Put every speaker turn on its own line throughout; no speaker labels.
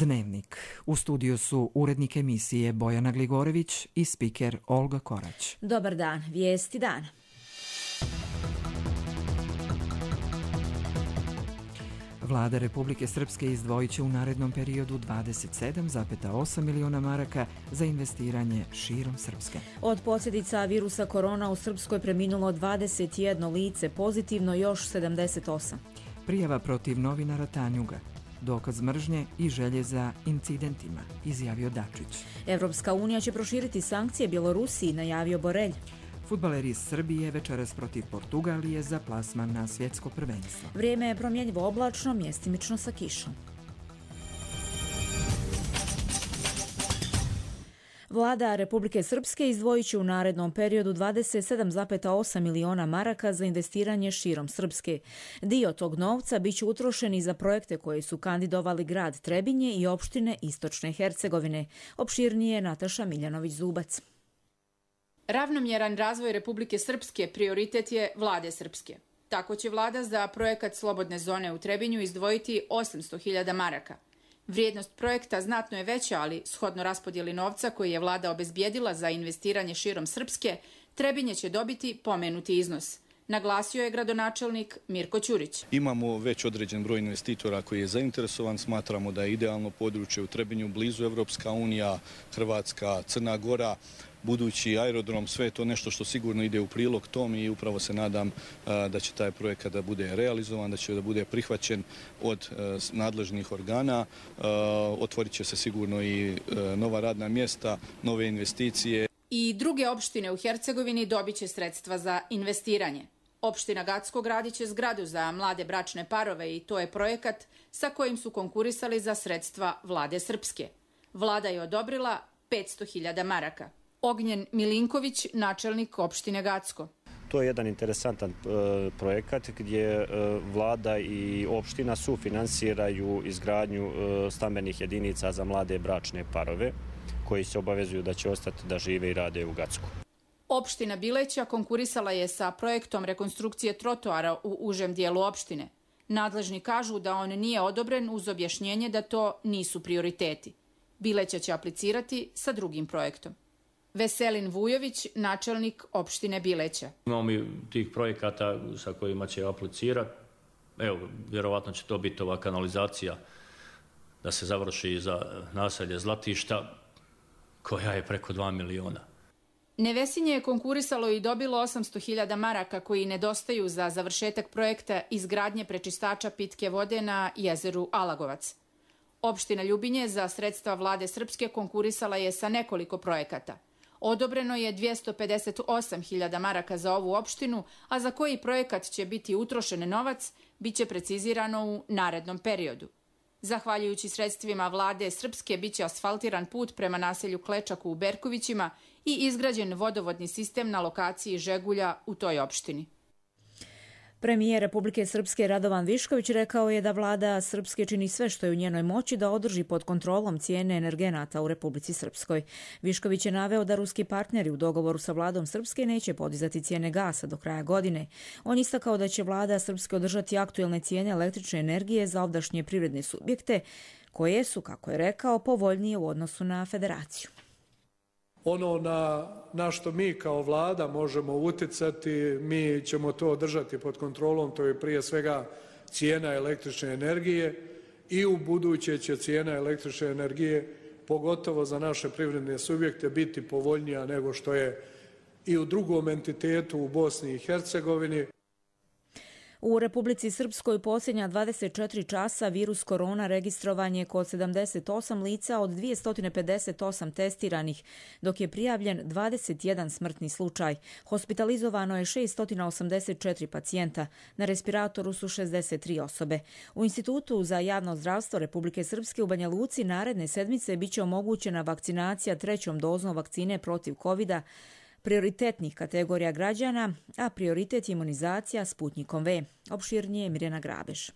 Dnevnik. U studiju su urednik emisije Bojana Gligorević i spiker Olga Korać.
Dobar dan, vijesti dana.
Vlada Republike Srpske izdvojit će u narednom periodu 27,8 miliona maraka za investiranje širom Srpske.
Od posljedica virusa korona u Srpskoj preminulo 21 lice, pozitivno još 78.
Prijava protiv novinara Tanjuga. Dokaz mržnje i želje za incidentima, izjavio Dačić.
Evropska unija će proširiti sankcije Bjelorusiji, najavio Borelj.
Fudbaleri iz Srbije večeras protiv Portugalije za plasman na svjetsko prvenstvo.
Vrijeme je promjenjivo oblačno, mjestimično sa kišom. Vlada Republike Srpske izdvojit će u narednom periodu 27,8 miliona maraka za investiranje širom Srpske. Dio tog novca bit će utrošen i za projekte koje su kandidovali grad Trebinje i opštine Istočne Hercegovine. Opširnije Nataša Miljanović-Zubac.
Ravnomjeran razvoj Republike Srpske prioritet je Vlade Srpske. Tako će vlada za projekat Slobodne zone u Trebinju izdvojiti 800.000 maraka. Vrijednost projekta znatno je veća, ali shodno raspodjeli novca koji je vlada obezbijedila za investiranje širom Srpske, Trebinje će dobiti pomenuti iznos. Naglasio je gradonačelnik Mirko Ćurić.
Imamo već određen broj investitora koji je zainteresovan. Smatramo da je idealno područje u Trebinju, blizu Evropska unija, Hrvatska, Crna Gora, budući aerodrom, sve je to nešto što sigurno ide u prilog tom i upravo se nadam da će taj projekat da bude realizovan, da će da bude prihvaćen od nadležnih organa. Otvorit će se sigurno i nova radna mjesta, nove investicije.
I druge opštine u Hercegovini dobit će sredstva za investiranje. Opština Gacko gradit će zgradu za mlade bračne parove i to je projekat sa kojim su konkurisali za sredstva Vlade Srpske. Vlada je odobrila 500.000 maraka. Ognjen Milinković, načelnik opštine Gacko.
To je jedan interesantan projekat gdje vlada i opština sufinansiraju izgradnju stambenih jedinica za mlade bračne parove koji se obavezuju da će ostati da žive i rade u Gacku.
Opština Bileća konkurisala je sa projektom rekonstrukcije trotoara u užem dijelu opštine. Nadležni kažu da on nije odobren uz objašnjenje da to nisu prioriteti. Bileća će aplicirati sa drugim projektom. Veselin Vujović, načelnik opštine Bileća.
Imamo mi tih projekata sa kojima će aplicirati. Evo, vjerovatno će to biti ova kanalizacija da se završi za naselje Zlatišta, koja je preko 2 miliona.
Nevesinje je konkurisalo i dobilo 800.000 maraka koji nedostaju za završetak projekta izgradnje prečistača pitke vode na jezeru Alagovac. Opština Ljubinje za sredstva Vlade Srpske konkurisala je sa nekoliko projekata. Odobreno je 258.000 maraka za ovu opštinu, a za koji projekat će biti utrošen novac, bit će precizirano u narednom periodu. Zahvaljujući sredstvima Vlade Srpske biće asfaltiran put prema naselju Klečaku u Berkovićima i izgrađen vodovodni sistem na lokaciji Žegulja u toj opštini.
Premijer Republike Srpske Radovan Višković rekao je da vlada Srpske čini sve što je u njenoj moći da održi pod kontrolom cijene energenata u Republici Srpskoj. Višković je naveo da ruski partneri u dogovoru sa vladom Srpske neće podizati cijene gasa do kraja godine. On istakao da će vlada Srpske održati aktuelne cijene električne energije za ovdašnje privredne subjekte, koje su, kako je rekao, povoljnije u odnosu na federaciju.
Ono na što mi kao vlada možemo utjecati, mi ćemo to održati pod kontrolom, to je prije svega cijena električne energije i u buduće će cijena električne energije, pogotovo za naše privredne subjekte, biti povoljnija nego što je i u drugom entitetu u Bosni i Hercegovini.
U Republici Srpskoj posljednja 24 časa virus korona registrovan je kod 78 lica od 258 testiranih, dok je prijavljen 21 smrtni slučaj. Hospitalizovano je 684 pacijenta, na respiratoru su 63 osobe. U Institutu za javno zdravstvo Republike Srpske u Banja Luci naredne sedmice biće omogućena vakcinacija 3. dozom vakcine protiv COVID-a, prioritetnih kategorija građana, a prioritet je imunizacija Sputnikom V. Opširnije Mirjana Grabeš.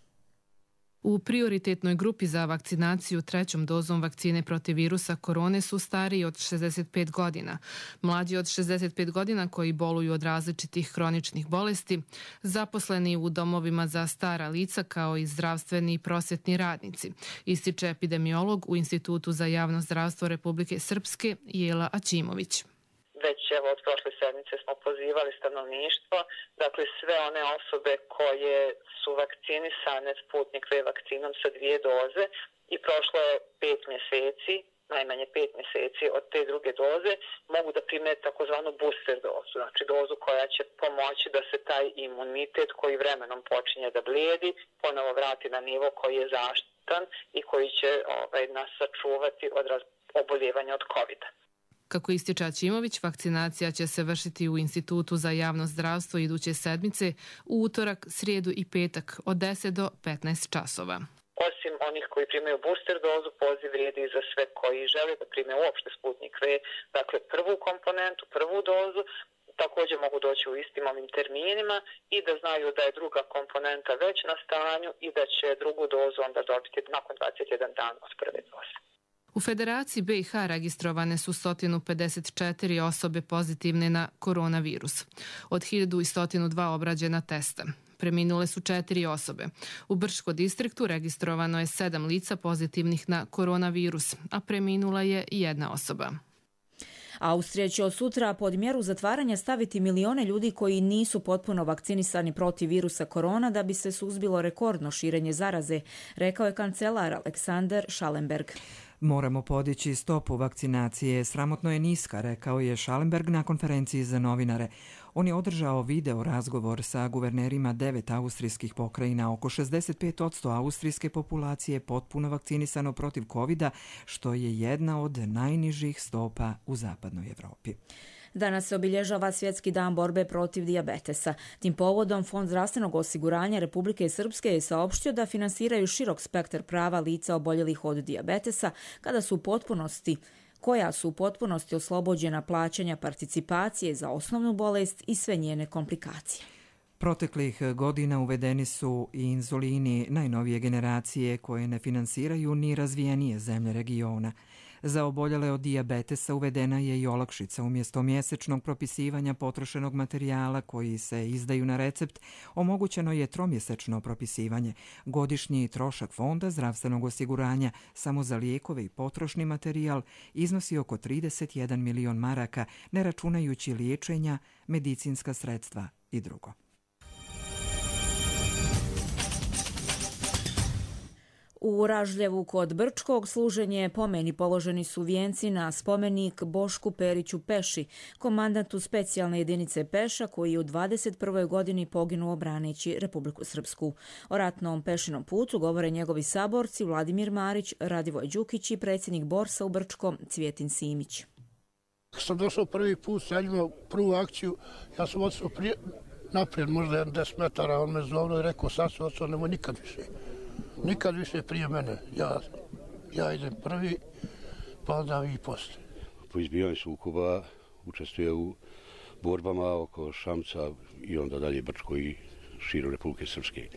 U prioritetnoj grupi za vakcinaciju 3. dozom vakcine protiv virusa korone su stariji od 65 godina, mlađi od 65 godina koji boluju od različitih hroničnih bolesti, zaposleni u domovima za stara lica kao i zdravstveni i prosvetni radnici, ističe epidemiolog u Institutu za javno zdravstvo Republike Srpske Jela Aćimović.
Već od prošle sedmice smo pozivali stanovništvo, dakle sve one osobe koje su vakcinisane Sputnik V vakcinom sa 2 doze i prošlo je 5 mjeseci, najmanje 5 mjeseci od te druge doze, mogu da prime takozvanu booster dozu, znači dozu koja će pomoći da se taj imunitet koji vremenom počinje da blijedi, ponovo vrati na nivo koji je zaštitan i koji će nas sačuvati od oboljevanja od COVID-a.
Kako ističe Aćimović, vakcinacija će se vršiti u Institutu za javno zdravstvo iduće sedmice u utorak, srijedu i petak od 10 do 15 časova.
Osim onih koji primaju booster dozu, poziv vrijedi i za sve koji žele da prime uopšte Sputnik V, dakle prvu komponentu, prvu dozu, također mogu doći u istim ovim terminima i da znaju da je druga komponenta već na stanju i da će drugu dozu onda dobiti nakon 21 dana od prve doze.
U Federaciji BiH registrovane su 154 osobe pozitivne na koronavirus. Od 1102 obrađena testa. Preminule su 4 osobe. U Brčko distriktu registrovano je 7 lica pozitivnih na koronavirus, a preminula je 1 osoba.
Austrija će od sutra pod mjeru zatvaranja staviti milione ljudi koji nisu potpuno vakcinisani protiv virusa korona da bi se suzbilo rekordno širenje zaraze, rekao je kancelar Alexander Schallenberg.
Moramo podići stopu vakcinacije. Sramotno je niska, rekao je Schallenberg na konferenciji za novinare. On je održao video razgovor sa guvernerima 9 austrijskih pokrajina. Oko 65% austrijske populacije potpuno vakcinisano protiv COVID-a, što je jedna od najnižih stopa u zapadnoj Evropi.
Danas se obilježava Svjetski dan borbe protiv dijabetesa. Tim povodom Fond zdravstvenog osiguranja Republike Srpske je saopštio da finansiraju širok spektar prava lica oboljelih od dijabetesa koja su u potpunosti oslobođena plaćanja participacije za osnovnu bolest i sve njene komplikacije.
Proteklih godina uvedeni su i inzulini najnovije generacije koje ne finansiraju ni razvijenije zemlje regiona. Za oboljele od dijabetesa uvedena je i olakšica umjesto mjesečnog propisivanja potrošenog materijala koji se izdaju na recept, omogućeno je tromjesečno propisivanje. Godišnji trošak Fonda zdravstvenog osiguranja samo za lijekove i potrošni materijal iznosi oko 31 milion maraka, ne računajući liječenja, medicinska sredstva i drugo.
U Ražljevu kod Brčkog služenje pomeni položeni su vijenci na spomenik Bošku Periću Peši, komandantu specijalne jedinice Peša koji je u 21. godini poginuo braneći Republiku Srpsku. O ratnom Pešinom putu govore njegovi saborci Vladimir Marić, Radivoj Đukić i predsjednik Borsa u Brčkom Cvjetin Simić.
Kad sam došao prvi put, ja imao prvu akciju, ja sam otišao naprijed, možda 10 metara, on me zovno i rekao, sad se otišao, nemoj nikad više. Nikad više prije mene. Ja idem prvi, pa onda i poslije.
Po izbijanju sukoba učestvuje u borbama oko Šamca i onda dalje Brčko i širom Republike Srpske.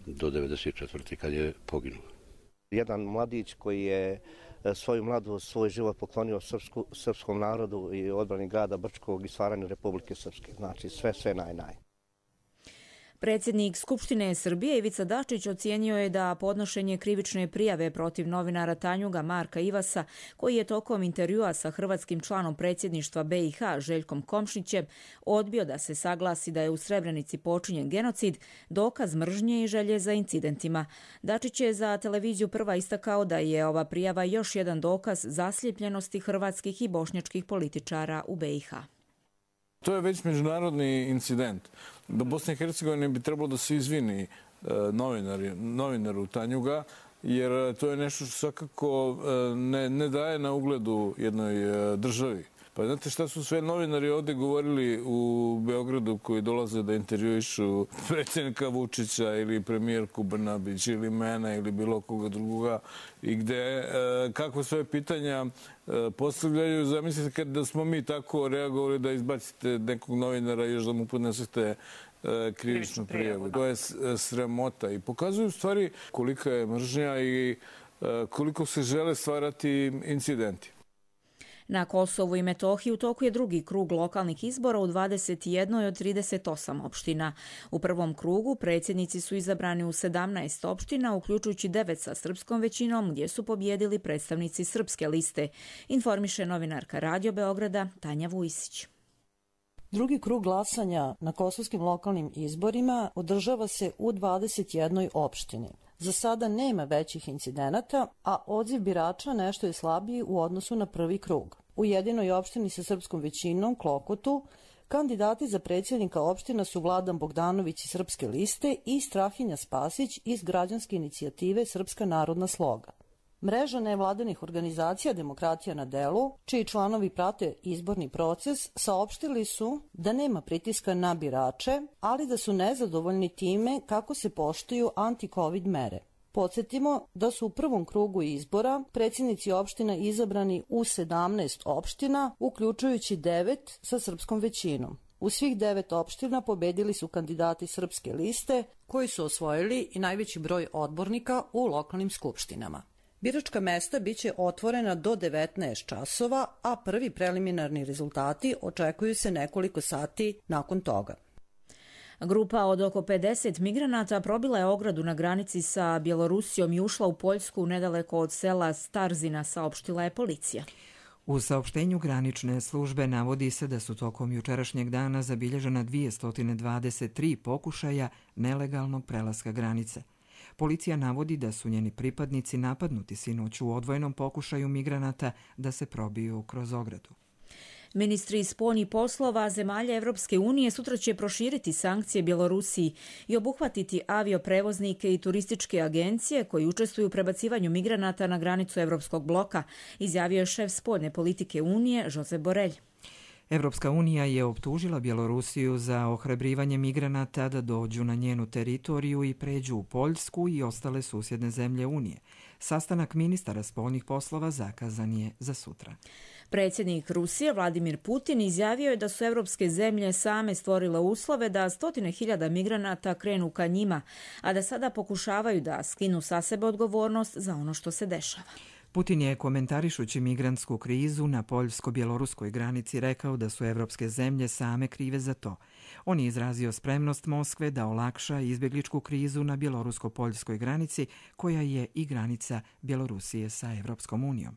Do 1994. kad je poginuo.
Jedan mladić koji je svoju mladost, svoj život poklonio srpskom narodu i odbrani grada Brčkog i stvaranju Republike Srpske. Znači sve naj.
Predsjednik Skupštine Srbije Ivica Dačić ocijenio je da podnošenje krivične prijave protiv novinara Tanjuga Marka Ivasa, koji je tokom intervjua sa hrvatskim članom predsjedništva BiH Željkom Komšićem odbio da se saglasi da je u Srebrenici počinjen genocid, dokaz mržnje i želje za incidentima. Dačić je za televiziju Prva istakao da je ova prijava još jedan dokaz zaslijepljenosti hrvatskih i bošnjačkih političara u BiH.
To je već međunarodni incident. Do Bosne i Hercegovine bi trebalo da se izvini novinaru Tanjuga, jer to je nešto što svakako ne daje na ugledu jednoj državi. Pa znate šta su sve novinari ovdje govorili u Beogradu koji dolaze da intervjuišu predsjednika Vučića ili premijerku Brnabić ili mene ili bilo koga drugoga i gde kakve sve pitanja postavljaju. Zamislite da smo mi tako reagovali da izbacite nekog novinara i još da mu podnesete krivičnu prijavu. To je sramota i pokazuju u stvari kolika je mržnja i koliko se žele stvarati incidenti.
Na Kosovu i Metohiji u toku je drugi krug lokalnih izbora u 21 od 38 opština. U prvom krugu predsjednici su izabrani u 17 opština, uključujući 9 sa srpskom većinom, gdje su pobjedili predstavnici srpske liste, informiše novinarka Radio Beograda Tanja Vujsić.
Drugi krug glasanja na kosovskim lokalnim izborima održava se u 21 opštini. Za sada nema većih incidenata, a odziv birača nešto je slabiji u odnosu na prvi krug. U jedinoj opštini sa srpskom većinom, Klokotu, kandidati za predsjednika opština su Vladan Bogdanović iz Srpske liste i Strahinja Spasić iz građanske inicijative Srpska narodna sloga. Mreža nevladinih organizacija Demokratija na delu, čiji članovi prate izborni proces, saopštili su da nema pritiska na birače, ali da su nezadovoljni time kako se poštuju anti-covid mere. Podsjetimo da su u prvom krugu izbora predsjednici opština izabrani u 17 opština, uključujući 9 sa srpskom većinom. U svih 9 opština pobedili su kandidati Srpske liste, koji su osvojili i najveći broj odbornika u lokalnim skupštinama. Biračka mesta biće otvorena do 19 časova, a prvi preliminarni rezultati očekuju se nekoliko sati nakon toga.
Grupa od oko 50 migranata probila je ogradu na granici sa Bjelorusijom i ušla u Poljsku nedaleko od sela Starzina, saopštila je policija.
U saopštenju granične službe navodi se da su tokom jučerašnjeg dana zabilježena 223 pokušaja nelegalnog prelaska granice. Policija navodi da su njeni pripadnici napadnuti sinoć u odvojenom pokušaju migranata da se probiju kroz ogradu.
Ministri spoljnih poslova zemalja Evropske unije sutra će proširiti sankcije Bjelorusiji i obuhvatiti avioprevoznike i turističke agencije koji učestvuju u prebacivanju migranata na granicu Evropskog bloka, izjavio je šef spoljne politike Unije Josep Borrell.
Evropska unija je optužila Bjelorusiju za ohrabrivanje migranata da dođu na njenu teritoriju i pređu u Poljsku i ostale susjedne zemlje Unije. Sastanak ministara spoljnih poslova zakazan je za sutra.
Predsjednik Rusije Vladimir Putin izjavio je da su evropske zemlje same stvorile uslove da 100.000 migranata krenu ka njima, a da sada pokušavaju da skinu sa sebe odgovornost za ono što se dešava.
Putin je, komentarišući migrantsku krizu na poljsko-bjeloruskoj granici, rekao da su evropske zemlje same krive za to. On je izrazio spremnost Moskve da olakša izbjegličku krizu na bjelorusko-poljskoj granici, koja je i granica Bjelorusije sa Evropskom unijom.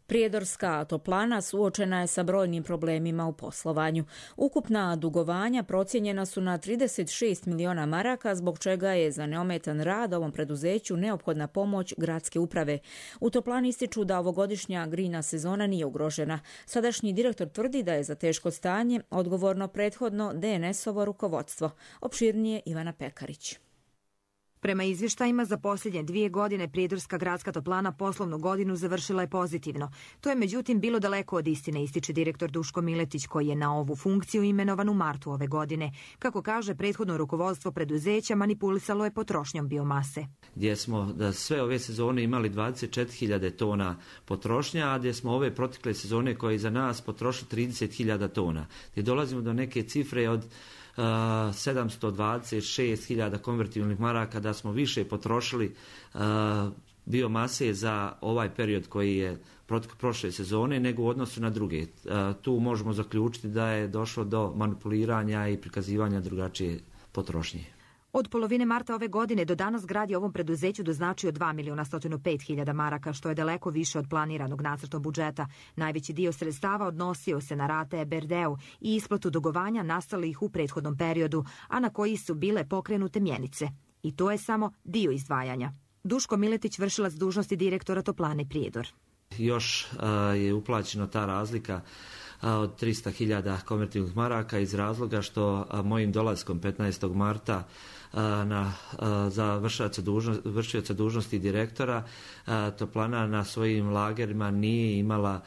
Prijedorska toplana suočena je sa brojnim problemima u poslovanju. Ukupna dugovanja procijenjena su na 36 miliona maraka, zbog čega je za neometan rad ovom preduzeću neophodna pomoć gradske uprave. U toplani ističu da ovogodišnja grejna sezona nije ugrožena. Sadašnji direktor tvrdi da je za teško stanje odgovorno prethodno DNS-ovo rukovodstvo. Opširnije Ivana Pekarić.
Prema izvještajima za posljednje 2 godine Prijedorska gradska toplana poslovnu godinu završila je pozitivno. To je međutim bilo daleko od istine, ističe direktor Duško Miletić, koji je na ovu funkciju imenovan u martu ove godine. Kako kaže, prethodno rukovodstvo preduzeća manipulisalo je potrošnjom biomase.
Gdje smo da sve ove sezone imali 24.000 tona potrošnja, a gdje smo ove protekle sezone koje je za nas potrošili 30.000 tona. Gdje dolazimo do neke cifre od 726.000 konvertibilnih maraka, da smo više potrošili biomase za ovaj period koji je prošle sezone nego u odnosu na druge. Tu možemo zaključiti da je došlo do manipuliranja i prikazivanja drugačije potrošnje.
Od polovine marta ove godine do danas grad je ovom preduzeću doznačio 2.105.000 maraka, što je daleko više od planiranog nacrtom budžeta. Najveći dio sredstava odnosio se na rate EBRD-u i isplatu dugovanja nastalih u prethodnom periodu, a na koji su bile pokrenute mjenice. I to je samo dio izdvajanja. Duško Miletić, vršilac dužnosti direktora Toplane Prijedor.
Još je uplaćeno ta razlika od 300.000 konvertibilnih maraka iz razloga što mojim dolaskom 15. marta za vršioca dužnosti direktora Toplana na svojim lagerima nije imala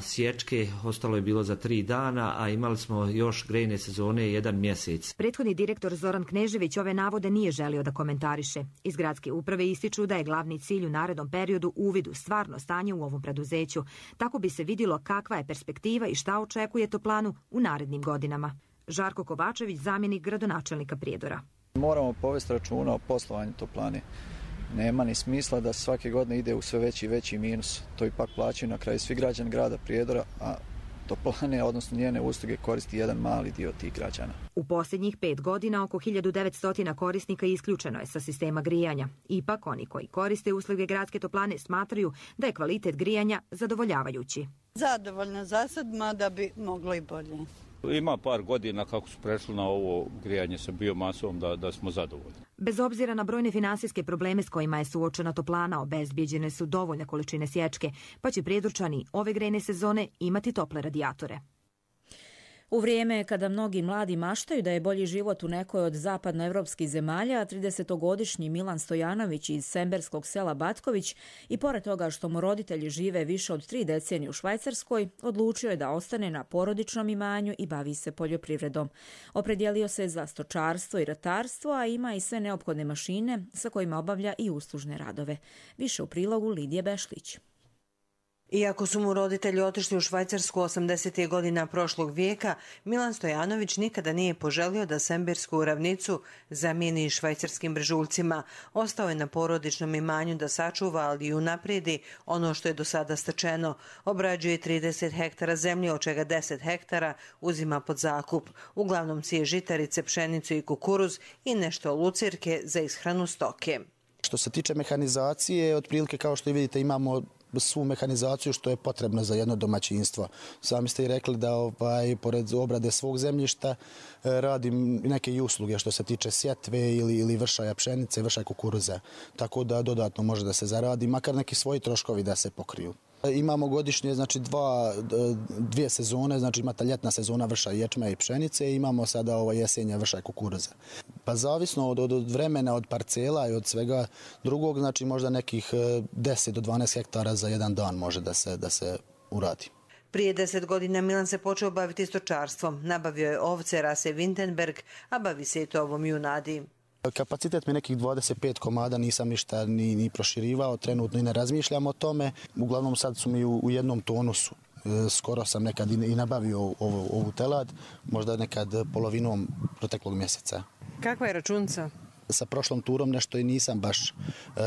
sječke, ostalo je bilo za 3 dana, a imali smo još grejne sezone 1 mjesec.
Prethodni direktor Zoran Knežević ove navode nije želio da komentariše. Iz gradske uprave ističu da je glavni cilj u narednom periodu uvid u stvarno stanje u ovom preduzeću. Tako bi se vidjelo kakva je perspektiva i šta očekuje toplanu u narednim godinama. Žarko Kovačević, zamjenik gradonačelnika Prijedora.
Moramo povesti računa o poslovanju toplane. Nema ni smisla da svake godine ide u sve veći i veći minus. To ipak plaćaju na kraju svi građani grada Prijedora, a toplane, odnosno njene usluge, koristi jedan mali dio tih građana.
U posljednjih 5 godina oko 1900 korisnika isključeno je sa sistema grijanja. Ipak oni koji koriste usluge gradske toplane smatraju da je kvalitet grijanja zadovoljavajući.
Zadovoljna za sad, mada bi moglo i bolje.
Ima par godina kako su prešli na ovo grijanje sa biomasom da smo zadovoljni.
Bez obzira na brojne finansijske probleme s kojima je suočena toplana, obezbijeđene su dovoljne količine sječke, pa će Prijedorčani ove grejne sezone imati tople radijatore.
U vrijeme kada mnogi mladi maštaju da je bolji život u nekoj od zapadnoevropskih zemalja, 30-godišnji Milan Stojanović iz semberskog sela Batković i pored toga što mu roditelji žive više od 3 decenije u Švajcarskoj, odlučio je da ostane na porodičnom imanju i bavi se poljoprivredom. Opredijelio se za stočarstvo i ratarstvo, a ima i sve neophodne mašine sa kojima obavlja i uslužne radove. Više u prilogu Lidije Bešlić.
Iako su mu roditelji otišli u Švajcarsku 80. godina prošlog vijeka, Milan Stojanović nikada nije poželio da sembersku ravnicu zamijeni švajcarskim brežuljcima. Ostao je na porodičnom imanju da sačuva, ali i unaprijedi ono što je do sada stečeno. Obrađuje 30 hektara zemlje, od čega 10 hektara uzima pod zakup. Uglavnom sije žitarice, pšenicu i kukuruz i nešto lucirke za ishranu stoke.
Što se tiče mehanizacije, otprilike kao što i vidite imamo svu mehanizaciju što je potrebno za jedno domaćinstvo. Sami ste i rekli da pored obrade svog zemljišta radim neke i usluge što se tiče sjetve ili vršaja pšenice, vršaja kukuruza. Tako da dodatno može da se zaradi, makar neki svoji troškovi da se pokriju. Imamo godišnje, znači dvije sezone, znači imate ljetna sezona vrša ječma i pšenice i imamo sada jesenja vrša kukuruza. Pa zavisno od vremena, od parcela i od svega drugog, znači možda nekih 10 do 12 hektara za jedan dan može da se uradi.
Prije 10 godina Milan se počeo baviti stočarstvom. Nabavio je ovce rase Wintenberg, a bavi se i tovom junadi.
Kapacitet mi je nekih 25 komada, nisam ništa ni proširivao, trenutno i ne razmišljam o tome. Uglavnom sad su mi u jednom tonusu. Skoro sam nekad i nabavio ovu telad, možda nekad polovinom proteklog mjeseca.
Kakva je računca?
Sa prošlom turom nešto i nisam baš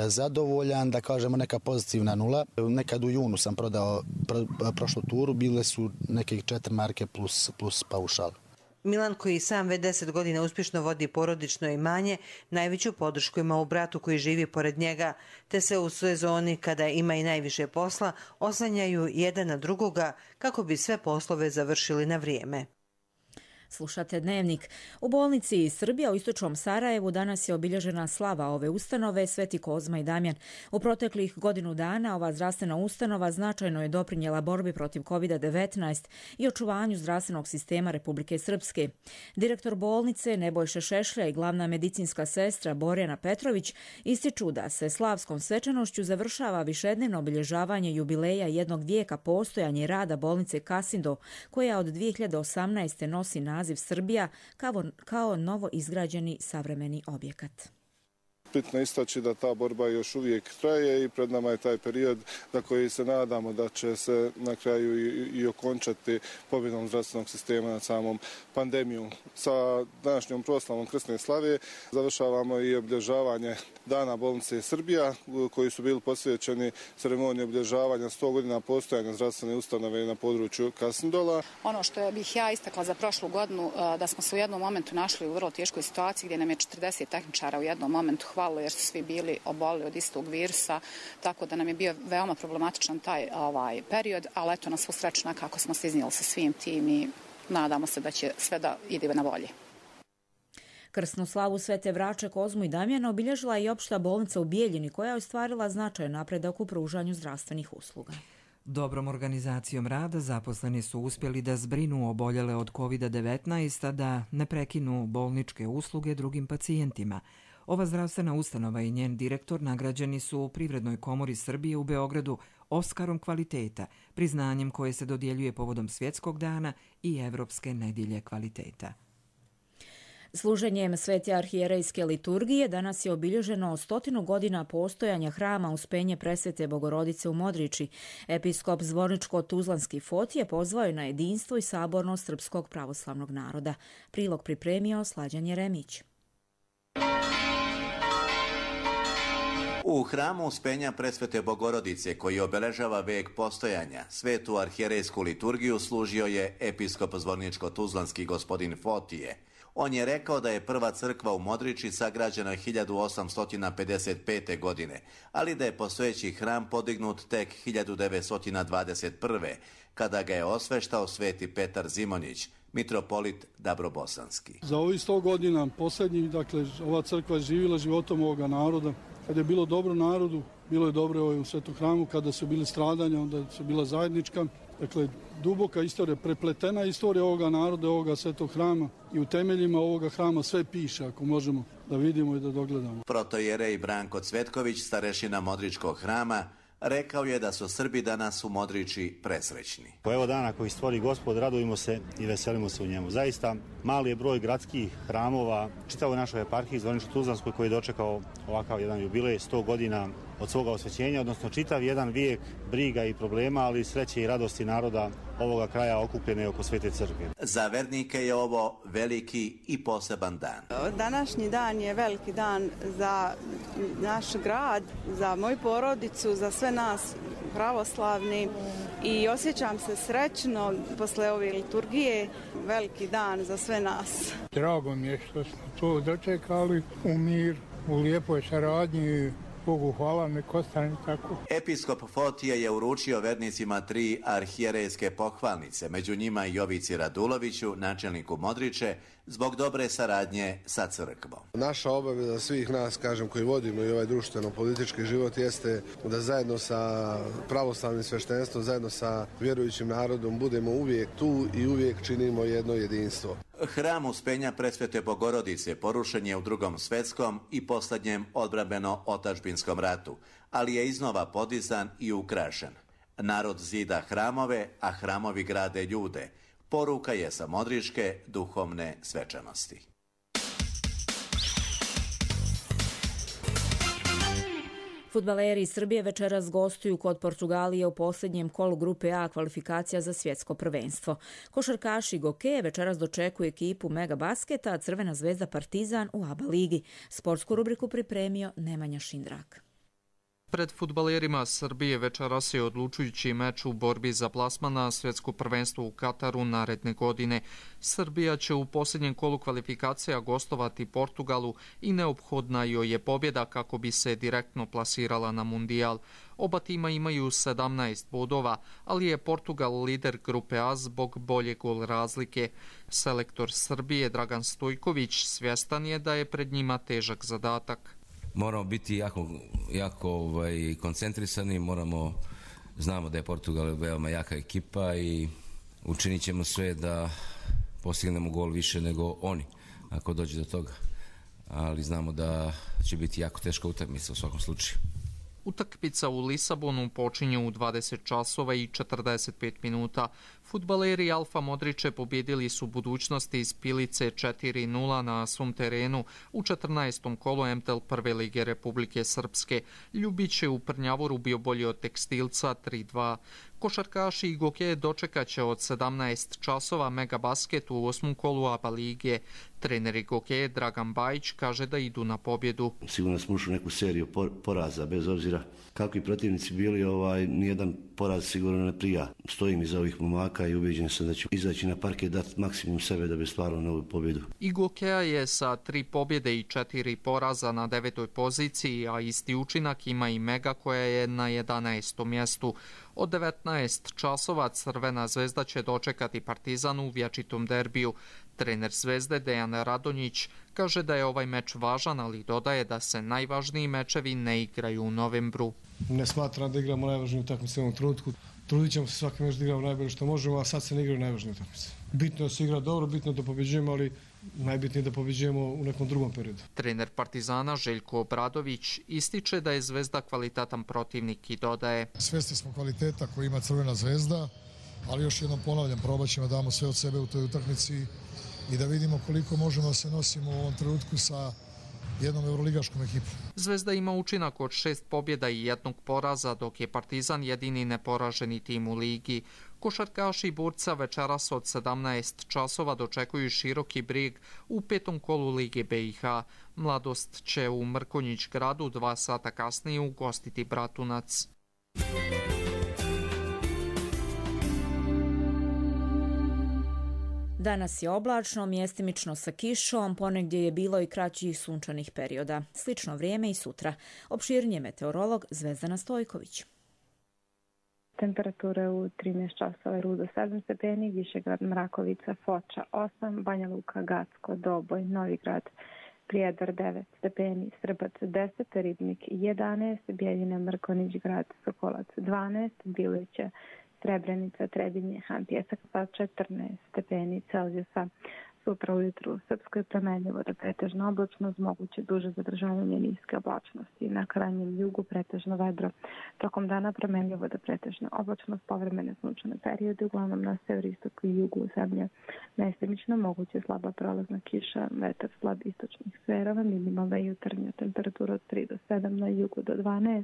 zadovoljan, da kažemo neka pozitivna nula. Nekad u junu sam prodao prošlu turu, bile su neke 4 marke plus paušal.
Milan, koji sam već 10 godina uspješno vodi porodično imanje, najveću podršku ima u bratu koji živi pored njega, te se u sezoni, kada ima i najviše posla, oslanjaju jedan na drugoga kako bi sve poslove završili na vrijeme.
Slušate Dnevnik. U bolnici Srbija u istočnom Sarajevu danas je obilježena slava ove ustanove Sveti Kozma i Damjan. U proteklih godinu dana ova zdravstvena ustanova značajno je doprinjela borbi protiv COVID-19 i očuvanju zdravstvenog sistema Republike Srpske. Direktor bolnice Nebojša Šešlja i glavna medicinska sestra Borjana Petrović ističu da se slavskom svečanošću završava višednevno obilježavanje jubileja jednog vijeka postojanja i rada bolnice Kasindo, koja od 2018. nosi naziv Srbija kao novo izgrađeni savremeni objekat.
Bitno istaći da ta borba još uvijek traje i pred nama je taj period za koji se nadamo da će se na kraju i okončati pobjedom zdravstvenog sistema nad samom pandemijom. Sa današnjom proslavom Krsne slave završavamo i obilježavanje Dana bolnice Srbija, koji su bili posvećeni ceremoniji obilježavanja 100 godina postojanja zdravstvene ustanove na području Kasindola.
Ono što bih ja istakla za prošlu godinu, da smo se u jednom momentu našli u vrlo teškoj situaciji gdje nam je 40 tehničara u jednom momentu hvalo jer su svi bili obolili od istog virusa, tako da nam je bio veoma problematičan taj period, ali eto na svu sreću kako smo se iznijeli sa svim tim i nadamo se da će sve da ide na bolje.
Krsnu slavu Svete Vrače, Kozmu i Damjana obilježila je i opšta bolnica u Bijeljini, koja je ostvarila značajan napredak u pružanju zdravstvenih usluga.
Dobrom organizacijom rada zaposleni su uspjeli da zbrinu oboljele od COVID-19, a da ne prekinu bolničke usluge drugim pacijentima. Ova zdravstvena ustanova i njen direktor nagrađeni su u Privrednoj komori Srbije u Beogradu Oskarom kvaliteta, priznanjem koje se dodjeljuje povodom Svjetskog dana i Evropske nedjelje kvaliteta.
Služenjem Svete arhijerejske liturgije danas je obilježeno 100 godina postojanja hrama Uspenje Presvete Bogorodice u Modriči. Episkop Zvorničko-Tuzlanski Fotije pozvao je na jedinstvo i sabornost srpskog pravoslavnog naroda. Prilog pripremio Slađan Jeremić.
U hramu Uspenja Presvete Bogorodice, koji obeležava vek postojanja, Svetu arhijerejsku liturgiju služio je episkop Zvorničko-Tuzlanski gospodin Fotije. On je rekao da je prva crkva u Modriči sagrađena 1855. godine, ali da je postojeći hram podignut tek 1921. kada ga je osveštao sveti Petar Zimonjić, mitropolit Dabrobosanski.
Za ovih 100 godina posljednjih, dakle, ova crkva je živjela životom ovoga naroda. Kad je bilo dobro narodu, bilo je dobro u svetom hramu. Kada su bili stradanja, onda su bila zajednička. Dakle, duboka istorija, prepletena istorija ovoga naroda, ovoga svetog hrama, i u temeljima ovoga hrama sve piše, ako možemo da vidimo i da dogledamo.
Protojerej Branko Cvetković, starešina Modričkog hrama, rekao je da su Srbi danas u Modriči presrećni.
Po evo dana koji stvori Gospod, radujemo se i veselimo se u njemu. Zaista, mali je broj gradskih hramova, čitavoj našoj eparhiji Zvorničko-Tuzlanskoj, koji je dočekao ovakav jedan jubilej, 100 godina od svoga osvećenja, odnosno čitav jedan vijek briga i problema, ali sreće i radosti naroda ovoga kraja okupljene oko Svete crkve.
Za vernike je ovo veliki i poseban dan.
Današnji dan je veliki dan za naš grad, za moju porodicu, za sve nas pravoslavni, i osjećam se srećno posle ove liturgije. Veliki dan za sve nas.
Drago mi je što smo to dočekali u mir, u lijepoj saradnji. Bogu hvala, nek ostane tako.
Episkop Fotije je uručio vernicima 3 arhijerejske pohvalnice, među njima i Jovici Raduloviću, načelniku Modriče, zbog dobre saradnje sa crkvom.
Naša obaveza svih nas, kažem, koji vodimo i ovaj društveno-politički život, jeste da zajedno sa pravoslavnim sveštenstvom, zajedno sa vjerujućim narodom budemo uvijek tu i uvijek činimo jedno jedinstvo.
Hram Uspenja Presvete Bogorodice porušen je u Drugom svjetskom i posljednjem odbrambeno-otadžbinskom ratu, ali je iznova podizan i ukrašen. Narod zida hramove, a hramovi grade ljude. Poruka je sa modričke duhovne svečanosti.
Fudbaleri iz Srbije večeras gostuju kod Portugalije u posljednjem kolu grupe A kvalifikacija za svjetsko prvenstvo. Košarkaši Gokeje večeras dočekuju ekipu Mega Basketa, a Crvena zvezda Partizan u ABA ligi. Sportsku rubriku pripremio Nemanja Šindrak.
Pred fudbalerima Srbije večeras je odlučujući meč u borbi za plasman na svjetsko prvenstvo u Kataru naredne godine. Srbija će u posljednjem kolu kvalifikacija gostovati Portugalu i neophodna joj je pobjeda kako bi se direktno plasirala na mundijal. Oba tima imaju 17 bodova, ali je Portugal lider grupe A zbog bolje gol razlike. Selektor Srbije Dragan Stojković svjestan je da je pred njima težak zadatak.
Moramo biti jako koncentrisani, znamo da je Portugal veoma jaka ekipa i učinit ćemo sve da postignemo gol više nego oni, ako dođe do toga. Ali znamo da će biti jako teška utakmica u svakom slučaju.
Utakmica u Lisabonu počinje u 20 časova i 45 minuta. Fudbaleri Alfa Modriče pobjedili su Budućnosti iz Pilice 4-0 na svom terenu u 14. kolu MTL Prve lige Republike Srpske. Ljubić je u Prnjavoru bio bolji od Tekstilca 3-2. Košarkaši i Gokeje dočekaće od 17 časova Mega Basket u 8. kolu ABA lige. Trener Gokeje Dragan Bajić kaže da idu na pobjedu.
Sigurno smo ušli u neku seriju poraza, bez obzira kakvi protivnici bili, nijedan poraz sigurno ne prija. Stojim iza ovih momaka i ubeđen sam da će izaći na parket, dati maksimum sebe da bi stvarno novu pobjedu.
I Gokeja je sa 3 pobjede i 4 poraza na 9. poziciji, a isti učinak ima i Mega koja je na 11. mjestu. Od 19 časova Crvena zvezda će dočekati Partizan u vječitom derbiju. Trener Zvezde Dejan Radonjić kaže da je ovaj meč važan, ali dodaje da se najvažniji mečevi ne igraju u novembru.
Ne smatram da igramo najvažniju utakmicu u ovom trenutku. Trudit ćemo se svaki meč da igramo najbolje što možemo, a sad se ne igraju najvažnije utakmice. Bitno je da se igra dobro, bitno je da pobjeđujemo, ali najbitnije da pobjeđujemo u nekom drugom periodu.
Trener Partizana Željko Obradović ističe da je Zvezda kvalitetan protivnik i dodaje:
svjesni smo kvaliteta koji ima Crvena zvezda, ali još jednom ponavljam, probat ćemo da damo sve od sebe u toj utakmici
i da vidimo koliko možemo da se nosimo u ovom trenutku sa jednom euroligaškom ekipom.
Zvezda ima učinak od 6 pobjeda i 1 poraza, dok je Partizan jedini neporaženi tim u ligi. Košarkaši Burca večeras od 17 časova dočekuju Široki Brijeg u 5. kolu Lige BiH. Mladost će u Mrkonjić gradu 2 sata kasnije ugostiti Bratunac.
Danas je oblačno, mjestimično sa kišom, ponegdje je bilo i kraćih sunčanih perioda. Slično vrijeme i sutra. Opširnije meteorolog Zvezdana Stojković.
Temperature u 13 časova Rudo 7 stepeni, Višegrad, Mrakovica, Foča 8, Banja Luka, Gacko, Doboj, Novigrad, Prijedor 9 stepeni, Srbac 10, Ribnik 11, Bijeljina, Mrkonić, Grad, Sokolac 12, Biliće, Srebrenica, Trebinje, Pjesak sa 14 stepeni Celzijusa. Sutra ujutru u Srpskoj promenljivo do pretežno oblačno, moguće duže zadržavanje niske oblačnosti. Na krajnjem jugu pretežno vedro. Tokom dana promenljivo do pretežno oblačnost, povremene sunčane periode, uglavnom na severoistoku i jugu zemlje. Mestimično moguće slaba prolazna kiša, vetar slab istočnih sferova, minimalna jutarnja temperatura od 3 do 7, na jugu do 12,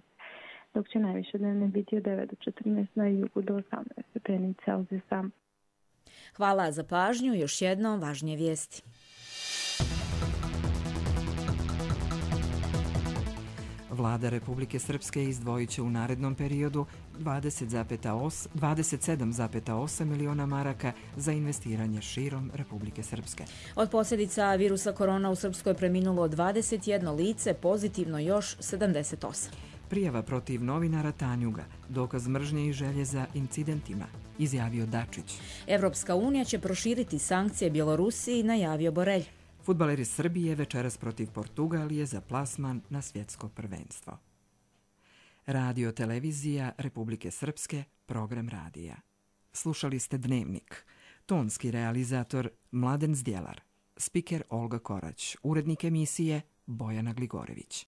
dok će najviše dnevne biti od 9 do 14, na jugu do 18 stepeni Celzijusa.
Hvala za pažnju. Još jednom važnije vijesti.
Vlada Republike Srpske izdvojit će u narednom periodu 27,8 miliona maraka za investiranje širom Republike Srpske.
Od posljedica virusa korona u Srpskoj preminulo 21 lice, pozitivno još 78.
Prijava protiv novinara Tanjuga, dokaz mržnje i želje za incidentima, izjavio Dačić.
Evropska unija će proširiti sankcije Bjelorusiji, najavio Borelj.
Fudbaleri Srbije večeras protiv Portugalije za plasman na svjetsko prvenstvo. Radio televizija Republike Srpske, program radija. Slušali ste Dnevnik. Tonski realizator Mladen Zdjelar. Spiker Olga Korać. Urednik emisije Bojana Gligorević.